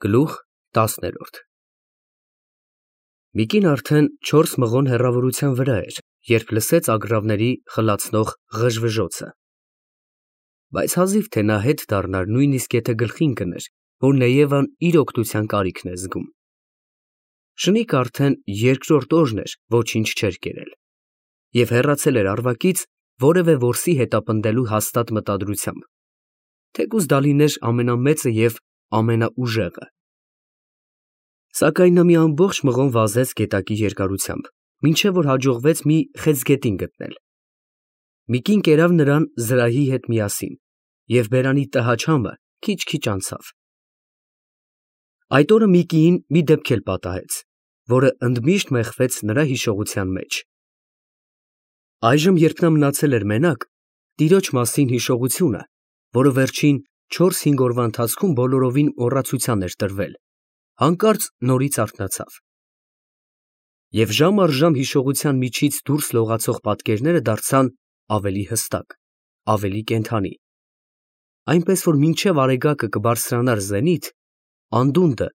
Գլուխ 10-րդ Միկին արդեն 4 մղոն հեռավորության վրա էր, երբ լսեց ագռավների խլացնող ղժվժոցը, բայց հազիվ թե նա հետ դառնար, նույնիսկ եթե գլխին կներ, որ Նեևան իր օգնության կարիքն է զգում։ Շնիկը արդեն երկրորդ օրն էր, ոչինչ չէր կերել, և հեռացել էր Արվակից որևէ որսի հետապնդելու հաստատ մտադրությամբ, թեկուզ դա լիներ ամենամեծը և ամենաուժեղը։ Սակայն նա մի ամբողջ մղոն վազեց գետակի երկարությամբ, մինչև որ հաջողվեց մի խեցգետին գտնել։ Միկին կերավ նրան զրահի հետ միասին, և բերանի տհաճ համը քիչ-քիչ անցավ։ Այդ օրը Միկիին մի դեպք էլ պատահեց, որը ընդմիշտ մեխվեց նրա հիշողության մեջ։ Այժմ, երբ նա մնացել էր մենակ, տիրոջ մասին հիշողությունը, որը վերջին 4-5 օրվա ընթացքում բոլորովին մոռացության էր տրվել, հանկարծ նորից արթնացավ։ Եվ ժամ առ ժամ հիշողության միջից դուրս լողացող պատկերները դարձան ավելի հստակ, ավելի կենդանի, այնպես որ մինչև Արեգակը կբարձրանար զենիթ, անդունդը,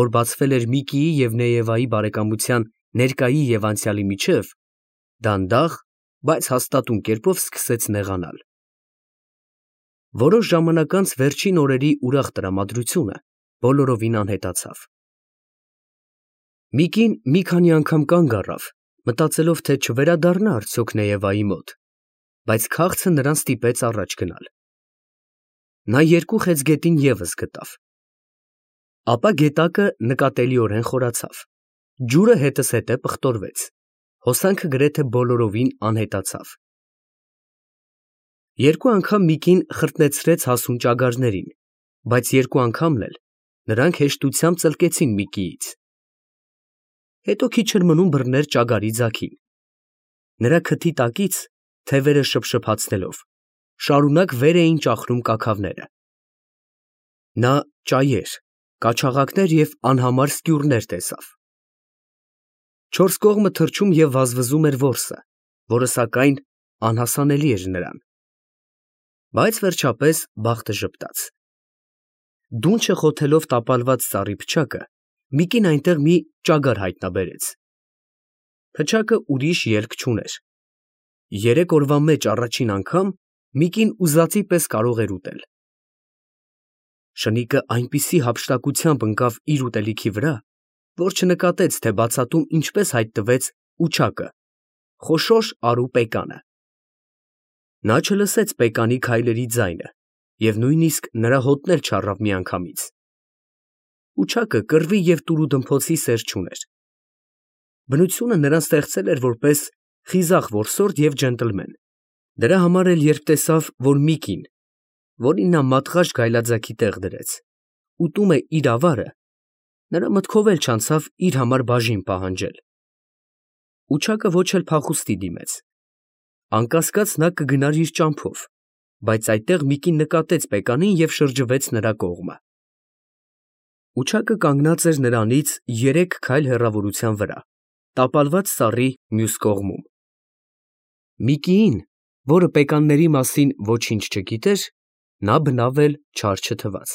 որ բացվել էր Միկիի և Նեևայի բարեկամության ներկայի և անցյալի միջև, դանդաղ, բայց հաստատուն կերպով սկսեց նեղանալ։ Որոշ ժամանակ անց վերջին օրերի ուրախ տրամադրությունը բոլորովին անհետացավ։ Միկին մի քանի անգամ կանգ առավ, մտածելով, թե չվերադառնա արդյոք Նեևայի մոտ, բայց քաղցը նրան ստիպեց առաջ գնալ։ Նա 2 խեցգետին ևս գտավ։ Ապա գետակը նկատելիորեն խորացավ, ջուրը հետզհետե պղտորվեց, հոսանքը գրեթե բոլորովին անհետացավ։ 2 անգամ Միկին խրտնեցրեց հասուն ճագարներին, բայց 2 անգամն էլ նրանք հեշտությամբ ծլկեցին Միկիից։ Հետո քիչ էր մնում բռներ ճագարի ձագին։ Նրա քթի տակից, թևերը շփշփացնելով, շարունակ վեր էին ճախրում կաքավները։ Նա ճայեր, կաչաղակներ և անհամար սկյուռներ տեսավ։ 4 կողմը թռչում և վազվզում էր որսը, որը սակայն անհասանելի էր նրան։ Բայց վերջապես բախտը ժպտաց։ Դունչը խոթելով տապալված ծառի փչակը, Միկին այնտեղ մի ճագար հայտնաբերեց։ Փչակը ուրիշ ելք չուներ։ 3 օրվա մեջ առաջին անգամ Միկին ուզածի պես կարող էր ուտել։ Շնիկը այնպիսի հափշտակությամբ ընկավ իր ուտելիքի վրա, որ չնկատեց, թե բացատում ինչպես հայտնվեց ուչակը, խոշոր արու պեկանը։ Նա չլսեց պեկանի քայլերի ձայնը և նույնիսկ նրա հոտն էլ չառավ միանգամից։ Ուչակը կռվի և տուրուդմփոցի սեր չուներ։ Բնությունը նրան ստեղծել էր որպես խիզախ որսորդ և ջենտլմեն։ Դրա համար էլ երբ տեսավ, որ Միկին, որին նա մատղաշ գայլաձագի տեղ դրեց, ուտում է իր ավարը, նրա մտքով էլ չանցավ իր համար բաժին պահանջել։ Ուչակը ոչ էլ փախուստի դիմեց։ Անկասկած նա կգնար իր ճամփով, բայց այդտեղ Միկին նկատեց պեկանին և շրջվեց նրա կողմը։ Ուչակը կանգնած էր նրանից 3 քայլ հեռավորության վրա, տապալված ծառի մյուս կողմում։ Միկիին, որը պեկանների մասին ոչինչ չգիտեր, նա բնավ էլ չար չթվաց։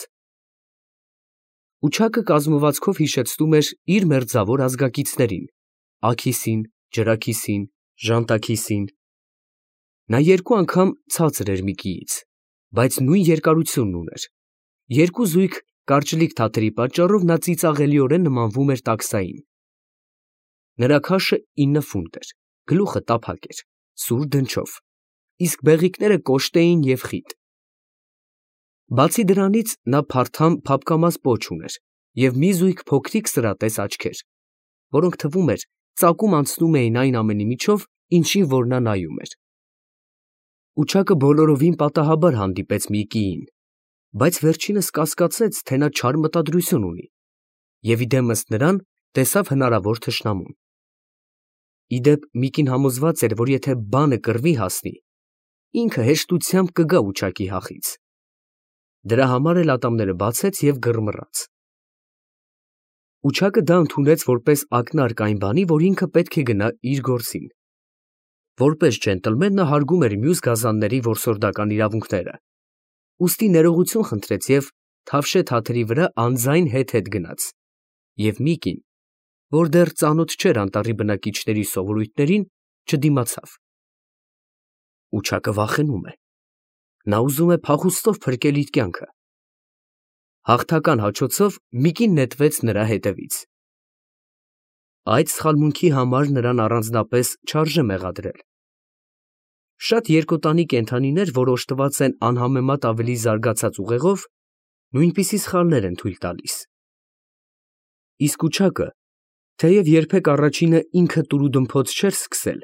Ուչակը կազմվածքով հիշեցնում էր իր մերձավոր ազգակիցներին՝ աքիսին, ջրաքիսին, ժանտաքիսին։ Նա 2 անգամ ցածր էր Միկիից, բայց նույն երկարությունն ուներ։ 2 զույգ կարճլիկ թաթերի պատճառով նա ծիծաղելիորեն նմանվում էր տաքսային։ Նրա քաշը 9 ֆունտ էր, գլուխը տափակ էր, սուր դնչով, իսկ բեղիկները կոշտ էին և խիտ։ Բացի դրանից նա փարթամ փափկամազ պոչ ուներ և մի զույգ փոքրիկ սրատես աչքեր, որոնք թվում էր ծակում անցնում էին այն ամենի միջով, ինչին որ նա նայում էր։ Ուչակը բոլորովին պատահաբար հանդիպեց Միկիին, բայց վերջինս կասկածեց, թե նա չար մտադրություն ունի, և իդեմս նրան տեսավ հնարավոր թշնամուն։ Ի դեպ, Միկին համոզված էր, որ եթե բանը կռվի հասնի, ինքը հեշտությամբ կգա ուչակի հախից։ Դրա համար էլ ատամները բացեց և գռմռաց։ Ուչակը դա ընդունեց որպես ակնարկ այն բանի, որ ինքը պետք է գնա իր գործին։ Որպես ջենտլմեն նա հարգում էր մյուս գազանների որսորդական իրավունքները, ուստի ներողություն խնդրեց և թավշե թաթերի վրա անձայն հետ գնաց, և մի կին, որ դեռ ծանոթ չէր անտառի բնակիչների սովորույթներին, չդիմացավ։ Ուչակը վախենում է։ Նա ուզում է փախուստով փրկել իր կյանքը։ Հաղթական հաչոցով Միկին նետվեց նրա հետևից։ Այդ սխալմունքի համար նրան առանձնապես չարժե մեղադրել։ Շատ երկոտանի կենդանիներ, որ օժտված են անհամեմատ ավելի զարգացած ուղեղով, նույնպիսի սխալներ են թույլ տալիս։ Իսկ ուչակը, թեև երբեք առաջինը ինքը տուրուդմփոց չէր սկսել,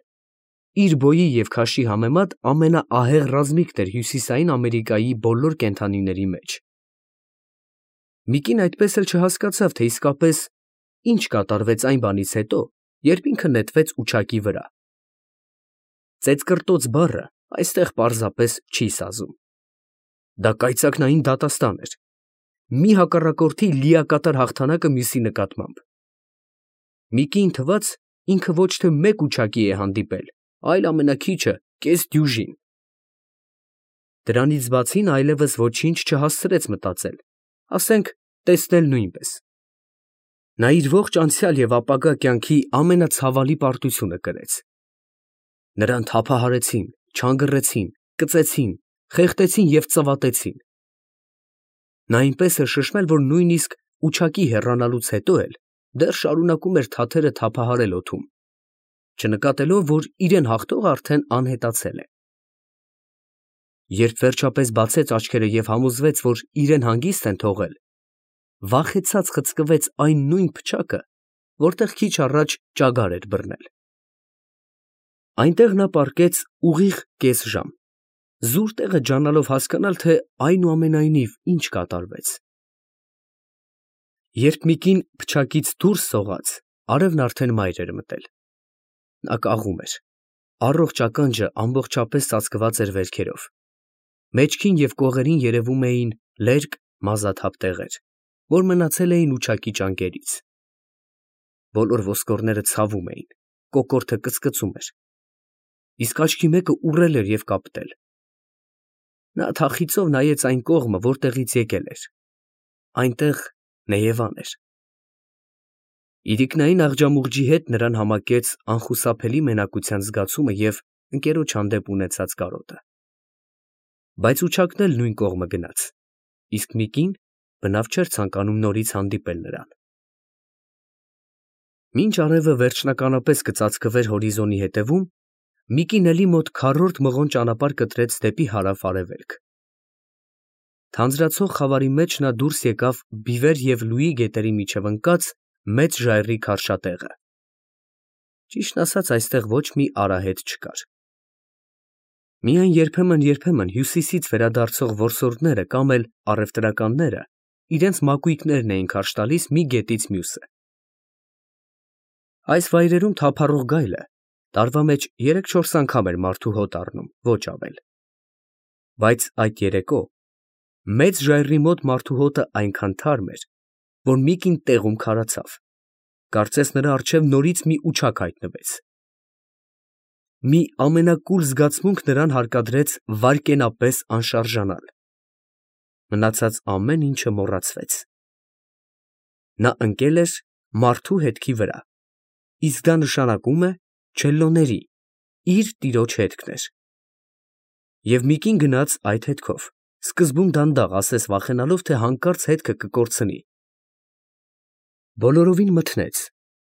իր բոյի և քաշի համեմատ ամենաահեղ ռազմիկն էր Հյուսիսային Ամերիկայի բոլոր կենդանիների մեջ։ Միկին այդպես էլ չհասկացավ, թե իսկապես ինչ կատարվեց այն բանից հետո, երբ ինքը նետվեց ուչակի վրա։ Ծեծկռտոց բառը այստեղ պարզապես չի սազում։ Դա կայծակնային դատաստան էր։ Մի հակառակորդի լիակատար հաղթանակը մյուսի նկատմամբ։ Միկիին թվաց, ինքը ոչ թե մեկ ուչակի է հանդիպել, այլ ամենաքիչը կես դյուժին։ Դրանից բացի նա այլևս ոչինչ չհասցրեց մտածել, ասենք տեսնել նույնպես։ Նա իր ողջ անցյալ և ապագա կյանքի ամենացավալի պարտությունը կրեց։ Նրան թափահարեցին, չանգռեցին, կծեցին, խեղդեցին և ծվատեցին։ Նա այնպես էր շշմել, որ նույնիսկ ուչակի հեռանալուց հետո էլ դեռ շարունակում էր թաթերը թափահարել օդում, չնկատելով, որ իրեն հաղթողը արդեն անհետացել է։ Երբ վերջապես բացեց աչքերը և համոզվեց, որ իրեն հանգիստ են թողել, վախեցած խցկվեց այն նույն փչակը, որտեղ քիչ առաջ ճագար էր բռնել։ Այնտեղ նա պառկեց ուղիղ կես ժամ, զուր տեղը ջանալով հասկանալ, թե այնուամենայնիվ ինչ կատարվեց։ Երբ Միկին փչակից դուրս սողաց, արևն արդեն մայր էր մտել։ Նա կաղում էր։ Առողջ ականջը ամբողջապես ծածկված էր վերքերով։ Մեջքին և կողերին երևում էին լերկ մազաթափ տեղեր, որ մնացել էին ուչակի ճանկերից։ Բոլոր ոսկորները ցավում էին, կոկորդը կծկծում էր, իսկ աչքի մեկը ուռել էր և կապտել։ Նա թախիծով նայեց այն կողմը, որտեղից եկել էր։ Այնտեղ Նեևան էր։ Իրիկնային աղջամուղջի հետ նրան համակեց անխուսափելի մենակության զգացումը և ընկերոջ հանդեպ ունեցած կարոտը։ Բայց ուչակն էլ նույն կողմը գնաց, իսկ Միկին բնավ չէր ցանկանում նորից հանդիպել նրան։ Մինչ արևը վերջնականապես կծածկվեր հորիզոնի հետևում, Միկին էլի մոտ քառորդ մղոն ճանապարհ կտրեց դեպի հարավ֊արևելք։ Թանձրացող խավարի մեջ նա դուրս եկավ Բիվեր և Լուի գետերի միջև ընկած մեծ ժայռի քարշատեղը։ Ճիշտն ասած, այստեղ ոչ մի արահետ չկար։ Միայն երբեմն հյուսիսից վերադարձող որսորդները կամ էլ առևտրականները իրենց մակույկներն էին քարշ տալիս մի գետից մյուսը։ Այս վայրերում թափառող գայլը տարվա մեջ 3-4 անգամ էր մարդու հոտ առնում, ոչ ավել։ Բայց այդ երեկո մեծ ժայռի մոտ մարդու հոտը այնքան թարմ էր, որ Միկին տեղում քարացավ, կարծես նրա առջև նորից մի ուչակ հայտնվեց։ Մի ամենակուլ զգացմունք նրան հարկադրեց վայրկենապես անշարժանալ։ Մնացած ամեն ինչը մոռացվեց։ Նա ընկել էր մարդու հետքի վրա, իսկ դա նշանակում է չելլոների, իր տիրոջ հետքն էր։ Եվ Միկին գնաց այդ հետքով, սկզբում դանդաղ, ասես վախենալով, թե հանկարծ հետքը կկորցնի։ Բոլորովին մթնեց,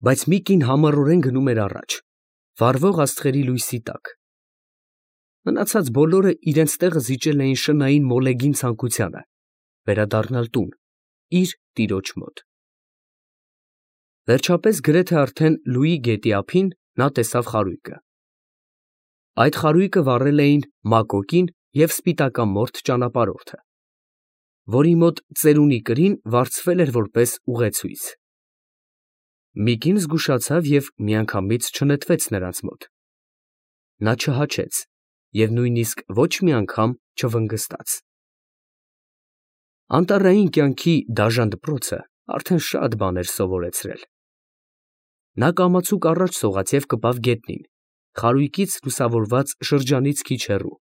բայց Միկին համառորեն գնում էր առաջ, վառվող աստղերի լույսի տակ։ Մնացած բոլորը իրենց տեղը զիջել էին շնային մոլեգին ցանկությանը, վերադառնալ տուն, իր տիրոջ մոտ։ Վերջապես գրեթե արդեն Լուի գետի ափին նա տեսավ խարույկը։ Այդ խարույկը վառել էին Մակոկին և Սպիտակամորթ ճանապարհորդը, որի մոտ ծերունի կրին վարձվել էր որպես ուղեցույց։ Միկին զգուշացավ և միանգամից չնետվեց նրանց մոտ։ Նա չհաչեց և նույնիսկ ոչ մի անգամ չվնգստաց։ Անտառային կյանքի դաժան դպրոցը արդեն շատ բան էր սովորեցրել։ Նա կամացուկ առաջ սողաց և կպավ գետնին, խարույկից լուսավորված շրջանից քիչ հեռու։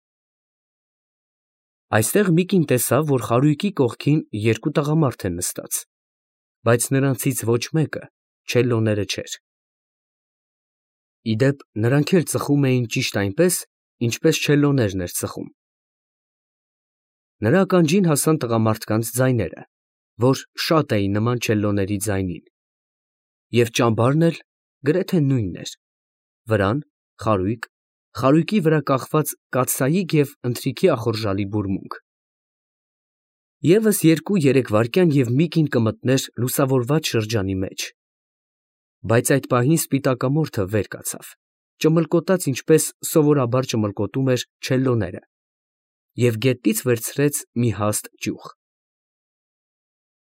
Այստեղ Միկին տեսավ, որ խարույկի կողքին երկու տղամարդ են նստած, բայց նրանցից ոչ մեկը չելլոները չէր։ Իդեպ նրանք էլ ծխում էին ճիշտ այնպես, ինչպես չելլոներն էր ծխում։ Նրա ականջին հասան տղամարդկանց ձայները, որ շատ էին նման չելլոների ձայնին, և ճամբարն էլ գրեթե նույնն էր. վրան, խարույկ, խարույկի վրա կախված կաթսայիկ և ընթրիքի ախորժալի բուրմունք։ Եվս 2-3 վայրկյան և Միկին կմտներ լուսավորված շրջանի մեջ։ Բայց այդ պահին սպիտակամորթը վեր կացավ, ճմլկոտաց ինչպես սովորաբար ճմլկոտում էր չելլոները, և գետնից վերցրեց մի հաստ ճյուղ։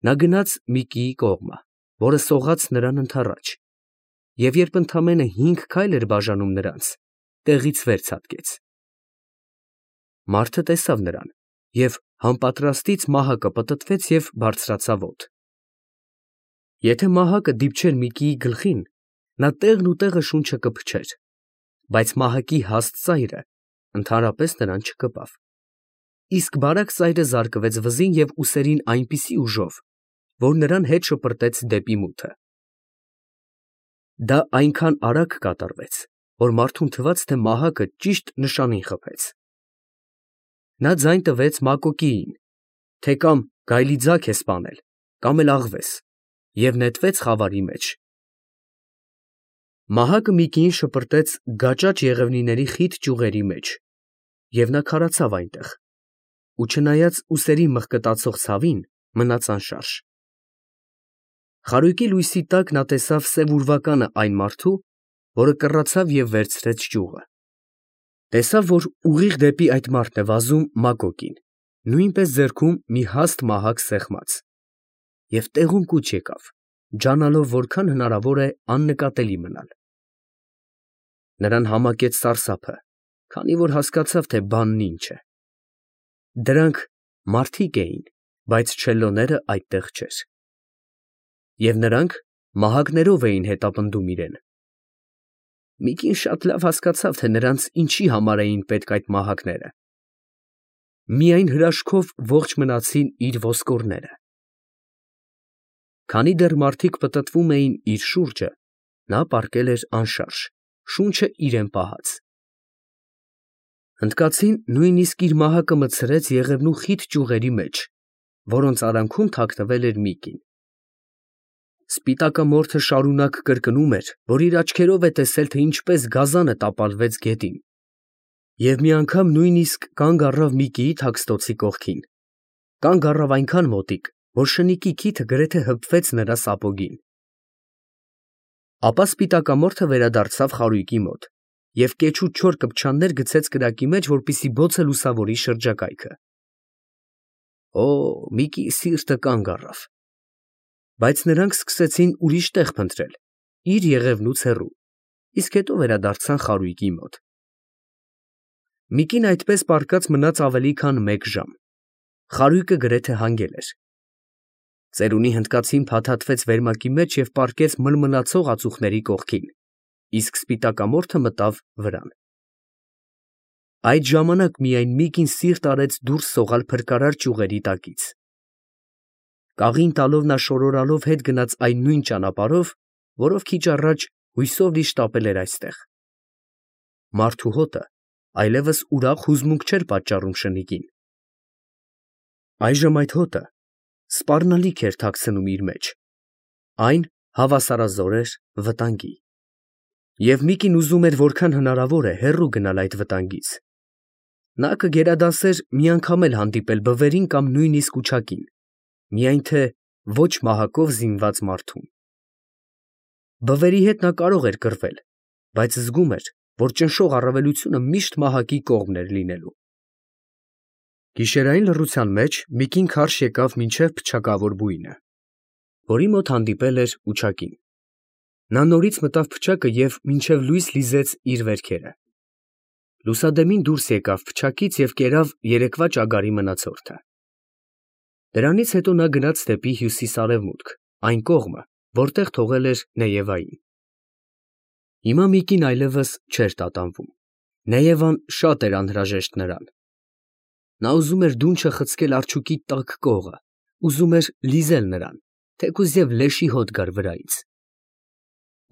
Նա գնաց Միկիի կողմը, որը սողաց նրան ընդառաջ, և երբ ընդամենը 5 քայլ էր բաժանում նրանց, տեղից վեր ցատկեց։ Մարդը տեսավ նրան, և համապատրաստից մահակը պտտվեց և բարձրացավ օդ։ Եթե մահակը դիպչեր Միկիի գլխին, նա տեղն ու տեղը շունչը կփչեր, բայց մահակի հաստ ծայրը ընդհանրապես նրան չկպավ, իսկ բարակ ծայրը զարկվեց վզին և ուսերին այնպիսի ուժով, որ նրան հետ շպրտեց դեպի մութը։ Դա այնքան արագ կատարվեց, որ մարդուն թվաց, թե մահակը ճիշտ նշանին խփեց։ Նա ձայն տվեց Մակոկիին, թե կամ գայլի ձագ է սպանել, կամ էլ աղվես, և նետվեց խավարի մեջ։ Մահակը Միկիին շպրտեց գաճաճ եղևնիների խիտ ճյուղերի մեջ, և նա քարացավ այնտեղ, ու չնայած ուսերի մղկտացող ցավին, մնաց անշարժ։ Խարույկի լույսի տակ նա տեսավ սև ուրվականը այն մարդու, որը կռացավ և վերցրեց ճյուղը։ Տեսավ, որ ուղիղ դեպի այդ մարդն է վազում Մակոկին, նույնպես ձեռքում մի հաստ մահակ սեղմած, և տեղում կուչ եկավ, ջանալով որքան հնարավոր է աննկատելի մնալ։ Նրան համակեց սարսափը, քանի որ հասկացավ, թե բանն ինչ է։ Դրանք մարդիկ էին, բայց չելլոները այդտեղ չէր։ Եվ նրանք մահակներով էին հետապնդում իրեն։ Միկին շատ լավ հասկացավ, թե նրանց ինչի համար էին պետք այդ մահակները։ Միայն հրաշքով ողջ մնացին իր ոսկորները։ Քանի դեռ մարդիկ պտտվում էին իր շուրջը, նա պառկել էր անշարժ, շունչը իրեն պահած։ Հնդկացին նույնիսկ իր մահակը մտցրեց եղևնու խիտ ճյուղերի մեջ, որոնց արանքում թաքնվել էր Միկին։ Սպիտակամորթը շարունակ կրկնում էր, որ իր աչքերով է տեսել, թե ինչպես գազանը տապալվեց գետին, և մի անգամ նույնիսկ կանգ առավ Միկիի թաքստոցի կողքին, կանգ առավ այնքան մոտիկ, որ շնիկի քիթը գրեթե հպվեց նրա սապոգին։ Ապա սպիտակամորթը վերադարձավ խարույկի մոտ և կեչու չոր կպչաններ գցեց կրակի մեջ, որպեսզի բոցը լուսավորի շրջակայքը։ Օ, Միկիի սիրտը կանգ առավ։ Բայց նրանք սկսեցին ուրիշ տեղ փնտրել, իր եղևնուց հեռու, իսկ հետո վերադարձան խարույկի մոտ։ Միկին այդպես պառկած մնաց ավելի քան 1 ժամ։ Խարույկը գրեթե հանգել էր։ Ծերունի հնդկացին փաթաթվեց վերմակի մեջ և պառկեց մլմլացող ածուխների կողքին, իսկ սպիտակամորթը մտավ վրան։ Այդ ժամանակ միայն Միկին սիրտ արեց դուրս սողալ փրկարար ճյուղերի տակից։ Կաղին տալով նա շորորալով հետ գնաց այն նույն ճանապարհով, որով քիչ առաջ հույսով լի շտապել էր այստեղ։ Մարդու հոտը այլևս ուրախ հուզմունք չէր պատճառում շնիկին։ Այժմ այդ հոտը սպառնալիք էր թաքցնում իր մեջ, այն հավասարազոր էր վտանգի։ Եվ Միկին ուզում էր որքան հնարավոր է հեռու գնալ այդ վտանգից։ Նա կգերադասեր մի անգամ էլ հանդիպել բվերին կամ նույնիսկ ուչակին, միայն թե ոչ մահակով զինված մարդուն։ Բվերի հետ նա կարող էր կռվել, բայց զգում էր, որ ճնշող առավելությունը միշտ մահակի կողմն էր լինելու։ Գիշերային լռության մեջ Միկին քարշ եկավ մինչև փչակավոր բույնը, որի մոտ հանդիպել էր ուչակին։ Նա նորից մտավ փչակը և մինչև լույս լիզեց իր վերքերը։ Լուսադեմին դուրս եկավ փչակից և կերավ երեկվա ճագարի մնացորդը։ Դրանից հետո նա գնաց դեպի հյուսիս֊արևմուտք, այն կողմը, որտեղ թողել էր Նեևային։ Հիմա Միկին այլևս չէր տատանվում։ Նեևան շատ էր անհրաժեշտ նրան։ Նա ուզում էր դունչը խցկել արջուկի տաք կողը, ուզում էր լիզել նրան, թեկուզ և լեշի հոտ գար վրայից։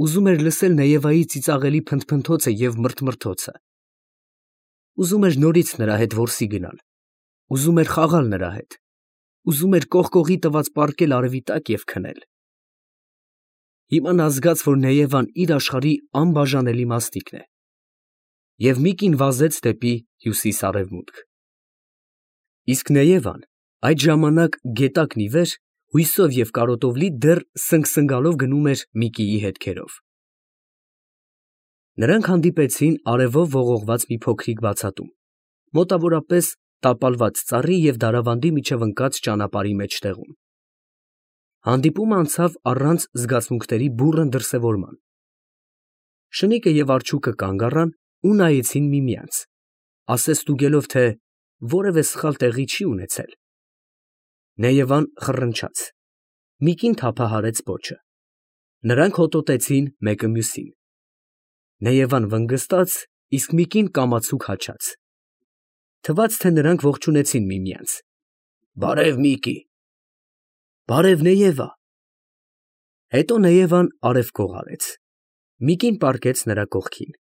Ուզում էր լսել Նեևայի ծիծաղելի փնթփնթոցը և մրթմրթոցը։ Ուզում էր նորից նրա հետ որսի գնալ, ուզում էր խաղալ նրա հետ, ուզում էր կողկողի տված պառկել արևի տակ և քնել։ Հիմա նա զգաց, որ Նեևան իր աշխարհի անբաժանելի մասնիկն է, և մի կին վազեց դեպի հյուսիս֊արևմուտք։ Իսկ Նեևան այդ ժամանակ գետակն ի վեր, հույսով և կարոտով լի դեռ սնգսնգալով գնում էր Միկիի հետքերով։ Նրանք հանդիպեցին արևով ողողված մի փոքրիկ բացատում, մոտավորապես տապալված ծառի և դարավանդի միջև ընկած ճանապարհի մեջտեղում։ Հանդիպումը անցավ առանց զգացմունքների բուռն դրսևորման։ Շնիկը և արջուկը կանգ առան ու նայեցին միմյանց, ասես ստուգելով, թե որևէ սխալ տեղի չի ունեցել։ Նեևան խռնչաց, Միկին թափահարեց պոչը։ Նրանք հոտոտեցին մեկը մյուսին։ Նեևան վնգստաց, իսկ Միկին կամացուկ հաչաց։ Թվաց, թե նրանք ողջունեցին միմյանց։ «Բարև, Միկի»։ «Բարև, Նեևա»։ Հետո Նեևան արևկող արեց։ Միկին պառկեց նրա կողքին։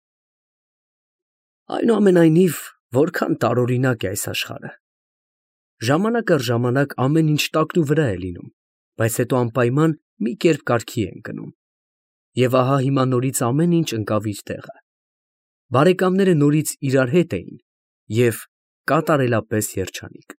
Այնուամենայնիվ, որքան տարօրինակ է այս աշխարհը։ Ժամանակ առ ժամանակ ամեն ինչ տակնուվրա է լինում, բայց հետո անպայման մի կերպ կարգի է ընկնում։ Եվ ահա հիմա նորից ամեն ինչ ընկավ իր տեղը։ Բարեկամները նորից իրար հետ էին և կատարելապես երջանիկ։